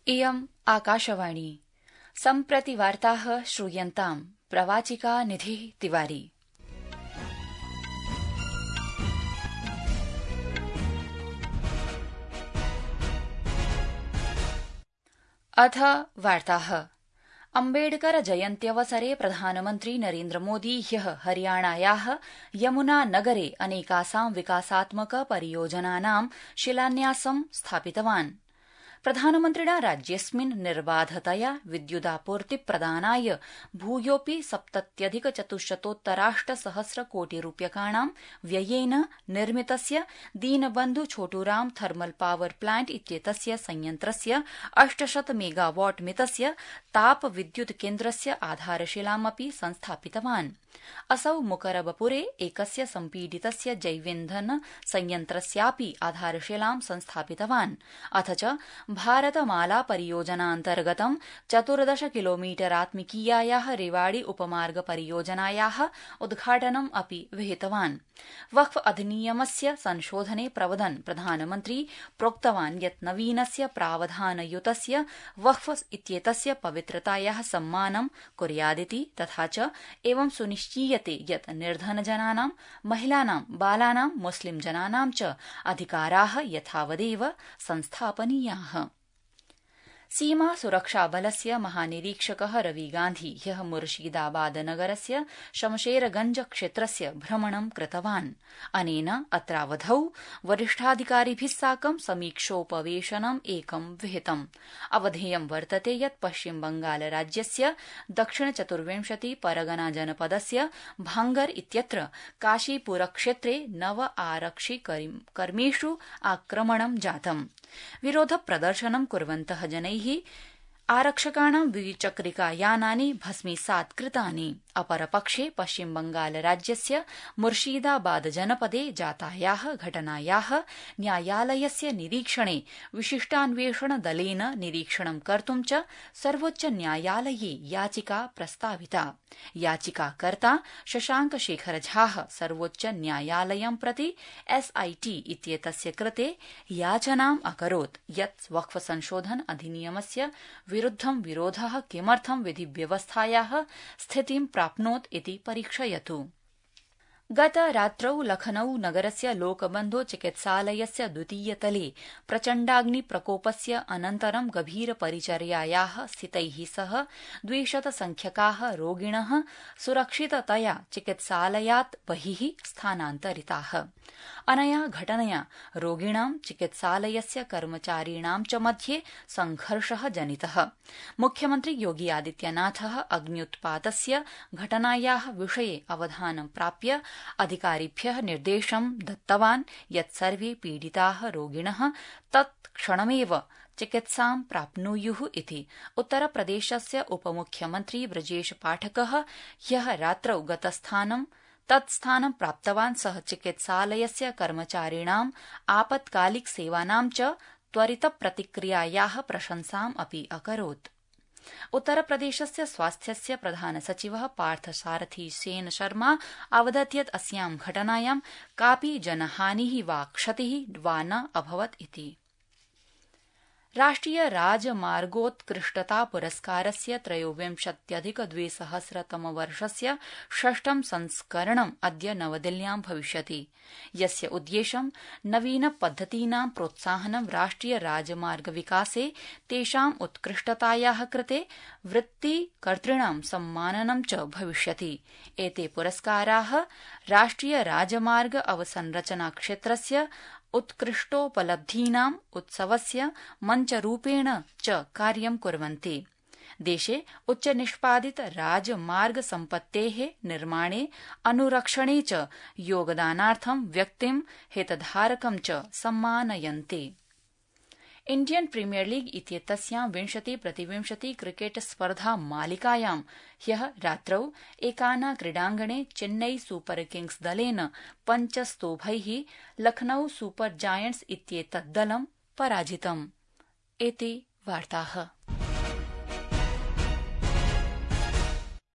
इयम् आकाशवाणी सम्प्रति वार्ताः श्रूयन्ताम् प्रवाचिका निधिः तिवारी। अथ वार्ताः। अम्बेडकर जयन्त्यवसरे प्रधानमन्त्री नरेन्द्र मोदी ह्यः हरियाणायाः यमुना नगरे अनेकासां विकासात्मक परियोजनानां शिलान्यासं स्थापितवान्। प्रधानमन्त्रिणा राज्येऽस्मिन् निर्बाधतया विद्युदापूर्ति प्रदानाय भूयोऽपि 70,400,000,000 व्ययेन निर्मितस्य दीनबन्धु छोटूराम थर्मल पावर प्लांट इत्येतस्य संयन्त्रस्य 800 मेगावाट मितस्य ताप विद्युत केन्द्रस्य आधारशिलामपि संस्थापितवान्। असौ मुकरबपुरे एकस्य सम्पीडितस्य जैवेन्धन संयन्त्रस्यापि आधारशिलां संस्थापितवान्। अथ च भारतमाला परियोजनान्तर्गतं 14 किलोमीटरात्मिकीयायाः रेवाड़ी उपमार्ग परियोजनायाः उद्घाटनम् अपि विहितवान्। वक्फ अधिनियमस्य संशोधने प्रवदन् प्रधानमन्त्री प्रोक्तवान् यत् नवीनस्य प्रावधानयुतस्य वक्फ इत्येतस्य पवित्रतायाः सम्मानं कुर्यादिति, तथा च एवं सुनिश्चीयते यत् निर्धनजनानां, महिलानां, बालानां, मुस्लिम जनानां च अधिकाराः यथावदेव संस्थापनीयाः। सीमा सुरक्षाबलस्य महानिरीक्षकः रवि गान्धी ह्यः मुर्शीदाबाद नगरस्य शमशेरगंज क्षेत्रस्य भ्रमणं कृतवान्। अनेन अत्रावधौ वरिष्ठाधिकारिभिः साकं समीक्षोपवेशनम् एकं विहितम्। अवधेयं वर्तते यत् पश्चिम बंगाल राज्यस्य दक्षिण 24 परगना जनपदस्य भांगर इत्यत्र काशीपुरक्षेत्रे 9 आरक्षिकर्मिषु आक्रमणं जातम्। विरोध प्रदर्शनं कुर्वन्तः जनैः आरक्षकाणां द्विचक्रिकायानानि भस्मीसात् कृतानि। अपरपक्षे पश्चिम बंगाल राज्यस्य मुर्शीदाबाद जनपदे जातायाः घटनायाः न्यायालयस्य निरीक्षणे विशिष्टान्वेषण दलेन निरीक्षणं कर्तुं च सर्वोच्च न्यायालये याचिका प्रस्ताविता। याचिकाकर्ता शशांक शेखर झाः सर्वोच्च न्यायालयं प्रति SIT इत्येतस्य कृते याचनाम् अकरोत् यत् वक्फ संशोधन अधिनियमस्य विरुद्धं विरोधः किमर्थं विधिव्यवस्थायाः स्थितिं प्राप्नोत् इति परीक्षयतु। गत रात्रौ लखनऊ नगरस्य लोकबन्धो चिकित्सालयस्य द्वितीयतले प्रचण्डाग्निप्रकोपस्य अनन्तरं गभीरपरिचर्यायाः स्थितैः सह 200 संख्यकाः रोगिणः सुरक्षिततया चिकित्सालयात् बहिः स्थानान्तरिताः। अनया घटनया रोगिणां, चिकित्सालयस्य कर्मचारिणां च मध्ये संघर्षः जनितः। मुख्यमन्त्री योगी आदित्यनाथः अग्न्युत्पातस्य घटनायाः विषये अवधानं प्राप्य अधिकारिभ्यः निर्देशं दत्तवान् यत् सर्वे पीडिताः रोगिणः तत्क्षणमेव चिकित्सां प्राप्नुयुः इति। उत्तरप्रदेशस्य उपमुख्यमन्त्री ब्रजेश पाठकः ह्यः रात्रौ तत्स्थानं प्राप्तवान्। सः चिकित्सालयस्य कर्मचारिणाम् आपत्कालिक सेवानां च त्वरितप्रतिक्रियायाः प्रशंसाम् अपि अकरोत्। उत्तरप्रदेशस्य स्वास्थ्यस्य प्रधान सचिवः पार्थसारथी सेन शर्मा अवदत् यत् अस्यां घटनायां कापि जनहानिः वा क्षतिः वा न अभवत् इति। राष्ट्रिय राजमार्गोत्कृष्टता पुरस्कारस्य 23,200 षष्ठं संस्करणम् अद्य नवदिल्ल्यां भविष्यति, यस्य उद्देश्यं नवीनपद्धतीनां प्रोत्साहनं, राष्ट्रिय राजमार्ग विकासे तेषां उत्कृष्टतायाः कृते वृत्तिकर्तॄणां सम्माननं च भविष्यति। एते पुरस्काराः राष्ट्रिय राजमार्ग अवसंरचना क्षेत्रस्य उत्कृष्टोपलब्धीनाम् उत्सवस्य मञ्चरूपेण च कार्यं कुर्वन्ति। देशे उच्चनिष्पादित राजमार्ग सम्पत्तेः निर्माणे, अनुरक्षणे च योगदानार्थं व्यक्तिं, हितधारकं च सम्मानयन्ति। इण्डियन प्रीमियर लीग इत्येतस्यां 20-20 क्रिकेट स्पर्धा मालिकायां ह्यः रात्रौ एकाना क्रीडाङ्गणे चेन्नई सुपर किंग्स दलेन 5 स्तोभैः लखनऊ सुपर जायंट्स इत्येतद् दलं पराजितम्। एते वार्ताः।